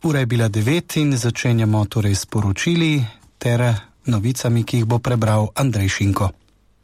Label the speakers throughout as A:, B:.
A: Ura je bila 9 in začenjamo torej s poročili ter novicami, ki jih bo prebral Andrej Šinko.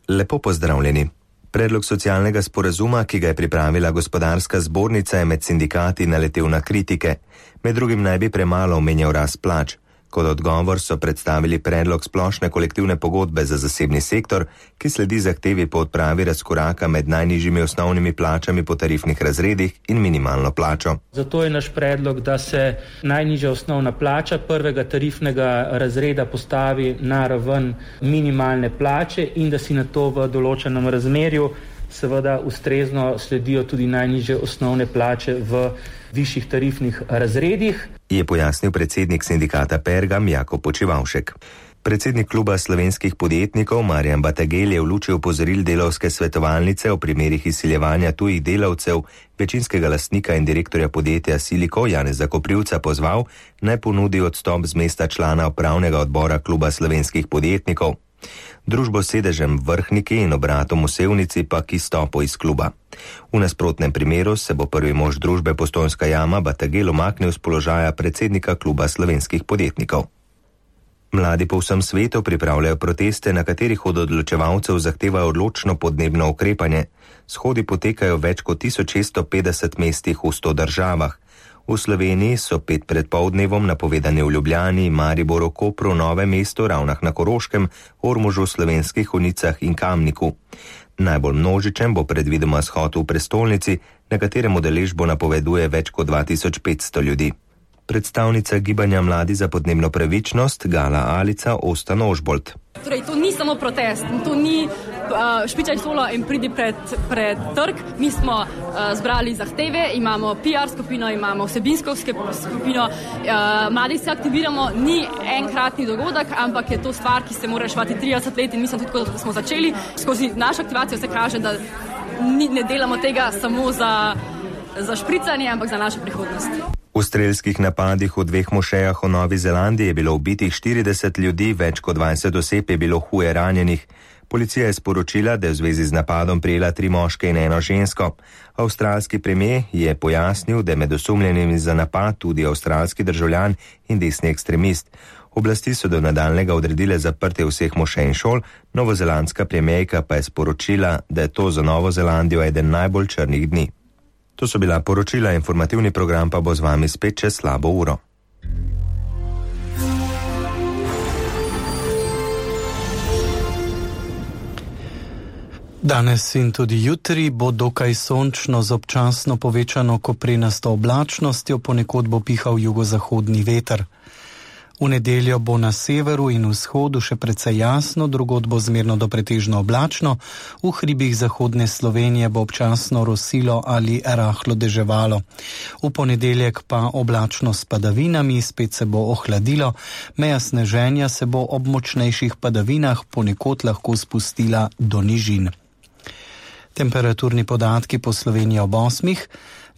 B: Lepo pozdravljeni. Predlog socialnega sporazuma, ki ga je pripravila gospodarska zbornica, je med sindikati naletel na kritike. Med drugim naj bi premalo omenjal rast plač. Kot odgovor so predstavili predlog splošne kolektivne pogodbe za zasebni sektor, ki sledi zahtevi po odpravi razkoraka med najnižjimi osnovnimi plačami po tarifnih razredih in minimalno plačo.
C: Zato je naš predlog, da se najnižja osnovna plača prvega tarifnega razreda postavi na raven minimalne plače in da si na to v določenem razmerju seveda ustrezno sledijo tudi najnižje osnovne plače v višjih tarifnih razredih.
B: Je pojasnil predsednik sindikata Pergam Jako Počivavšek. Predsednik kluba slovenskih podjetnikov Marjan Batagel je v luči opozoril delavske svetovalnice o primerih izsiljevanja tujih delavcev, večinskega lastnika in direktorja podjetja Siliko Janeza Koprivca pozval, naj ponudi odstop z mesta člana upravnega odbora kluba slovenskih podjetnikov. Družbo s sedežem v Vrhniki in obratom v Sevnici pa k izstopu iz kluba. V nasprotnem primeru se bo prvi mož družbe Postojnska jama Batagel umaknil z položaja predsednika kluba slovenskih podjetnikov. Mladi po vsem svetu pripravljajo proteste, na katerih od odločevalcev zahtevajo odločno podnebno ukrepanje. Shodi potekajo več kot 1650 mestih v 100 državah. V Sloveniji so 5 pred poldnevom napovedani v Ljubljani, Mariboru, Kopru, Novem mestu, Ravnah na Koroškem, Ormožu, Slovenskih Konjicah in Kamniku. Najbolj množičen bo predvidoma shod v prestolnici, na katerem udeležbo napoveduje več kot 2500 ljudi. Predstavnica gibanja Mladi za podnebno pravičnost Gala Alica Ostan Ožbolt.
D: Torej, to ni samo protest, to ni špičaj solo in pridi pred trg. Mi smo zbrali zahteve, imamo PR skupino, imamo vsebinsko skupino. Mladi se aktiviramo, ni enkratni dogodek, ampak je to stvar, ki se mora reševati 30 let in mislim tudi, ko smo začeli. Skozi našo aktivacijo se kaže, da ne delamo tega samo za špricanje, ampak za našo prihodnost.
B: V strelskih napadih v 2 mošejah v Novi Zelandiji je bilo ubitih 40 ljudi, več kot 20 oseb je bilo huje ranjenih. Policija je sporočila, da je v zvezi z napadom prijela 3 moške in 1 žensko. Avstralski premier je pojasnil, da je med osumljenimi za napad tudi avstralski državljan in desni ekstremist. Oblasti so do nadaljnjega odredile zaprtje vseh mošej in šol, novozelandska premierka pa je sporočila, da je to za Novo Zelandijo eden najbolj črnih dni. To so bila poročila, informativni program pa bo z vami spet čez slabo uro.
A: Danes in tudi jutri bo dokaj sončno z občasno povečano koprenasto oblačnostjo, ponekod bo pihal jugozahodni veter. V nedeljo bo na severu in vzhodu še precej jasno, drugod bo zmerno do pretežno oblačno, v hribih zahodne Slovenije bo občasno rosilo ali rahlo deževalo. V ponedeljek pa oblačno s padavinami, spet se bo ohladilo, meja sneženja se bo ob močnejših padavinah ponekod lahko spustila do nižin. Temperaturni podatki po Sloveniji ob 8.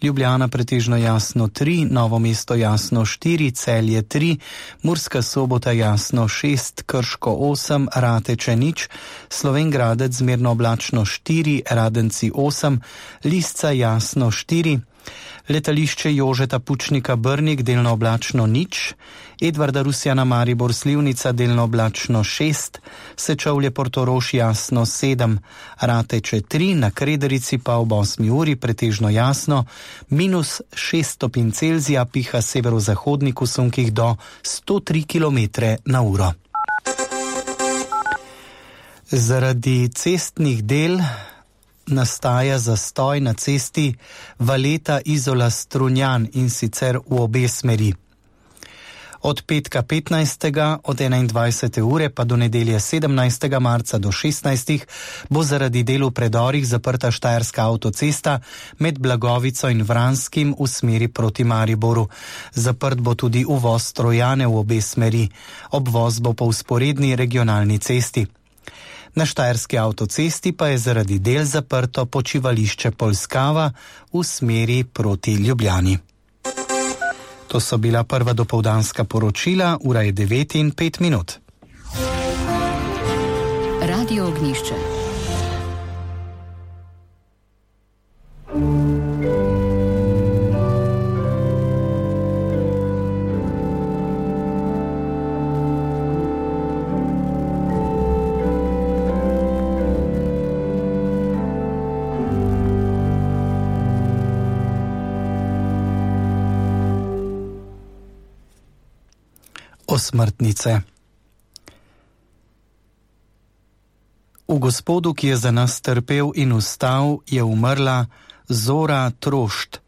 A: Ljubljana pretežno jasno 3, Novo mesto jasno 4, Celje 3, Murska Sobota jasno 6, Krško 8, Rateče 0, Slovenj Gradec zmerno oblačno 4, Radenci 8, Lisca jasno 4, Letališče Jožeta Pučnika Brnik delno oblačno 0, Edvarda Rusjana Maribor Slivnica delno oblačno 6, Sečovlje Portorož jasno 7, Rateče 3, na Krederici pa ob 8 uri pretežno jasno, -6 stopinj Celzija, piha severozahodnik v sunkih do 103 km/h. Zaradi cestnih del nastaja zastoj na cesti Valeta-Izola-Strunjan in sicer v obe smeri. Od petka 15. od 21. ure pa do nedelje 17. marca do 16. bo zaradi del v predorih zaprta Štajerska avtocesta med Blagovico in Vranskim v smeri proti Mariboru. Zaprt bo tudi uvoz Trojane v obe smeri. Obvoz bo po vzporedni regionalni cesti. Na Štajerski avtocesti pa je zaradi del zaprto počivališče Polskava v smeri proti Ljubljani. To so bila prva dopoldanska poročila, ura je 9:05.
E: Radio Ognjišče.
A: osmrtnice. V Gospodu, ki je za nas trpel in vstal, je umrla Zora Trošt,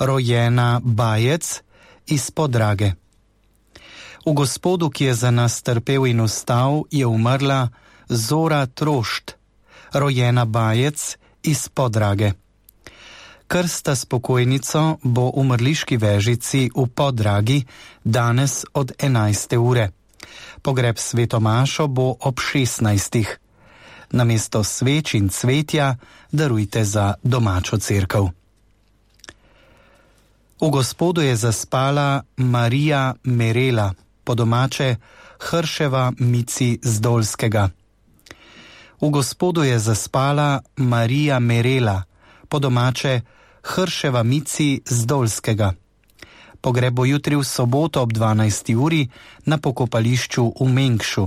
A: rojena Bajec iz Podrage. V Gospodu, ki je za nas trpel in vstal, je umrla Zora Trošt, rojena Bajec iz Podrage. Krsta s pokojnico bo v mrliški vežici v Podragi danes od 11. ure. Pogreb svetomašo bo ob 16. Namesto sveč in cvetja darujte za domačo cerkev. V Gospodu je zaspala Marija Merela, po domače Hrševa Mici Zdolskega. V Gospodu je zaspala Marija Merela, po domače Hrševa Mici Zdolskega. Pogreb bo jutri v soboto ob 12. uri na pokopališču v Mengšu.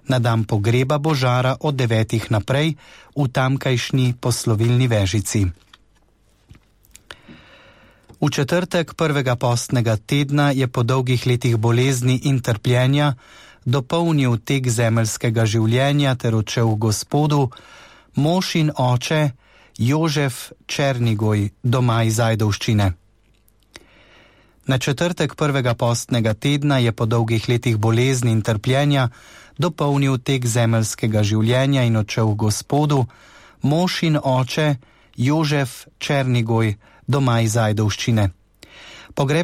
A: Na dan pogreba bo žara od 9. naprej v tamkajšnji poslovilni vežici. V četrtek prvega postnega tedna je po dolgih letih bolezni in trpljenja dopolnil tek zemeljskega življenja ter odšel v Gospodu mož in oče Jožef Černigoj doma iz Ajdovščine. Na četrtek prvega postnega tedna je po dolgih letih bolezni in trpljenja dopolnil tek zemeljskega življenja in odšel v Gospodu mož in oče Jožef Černigoj doma iz Ajdovščine. Pogreb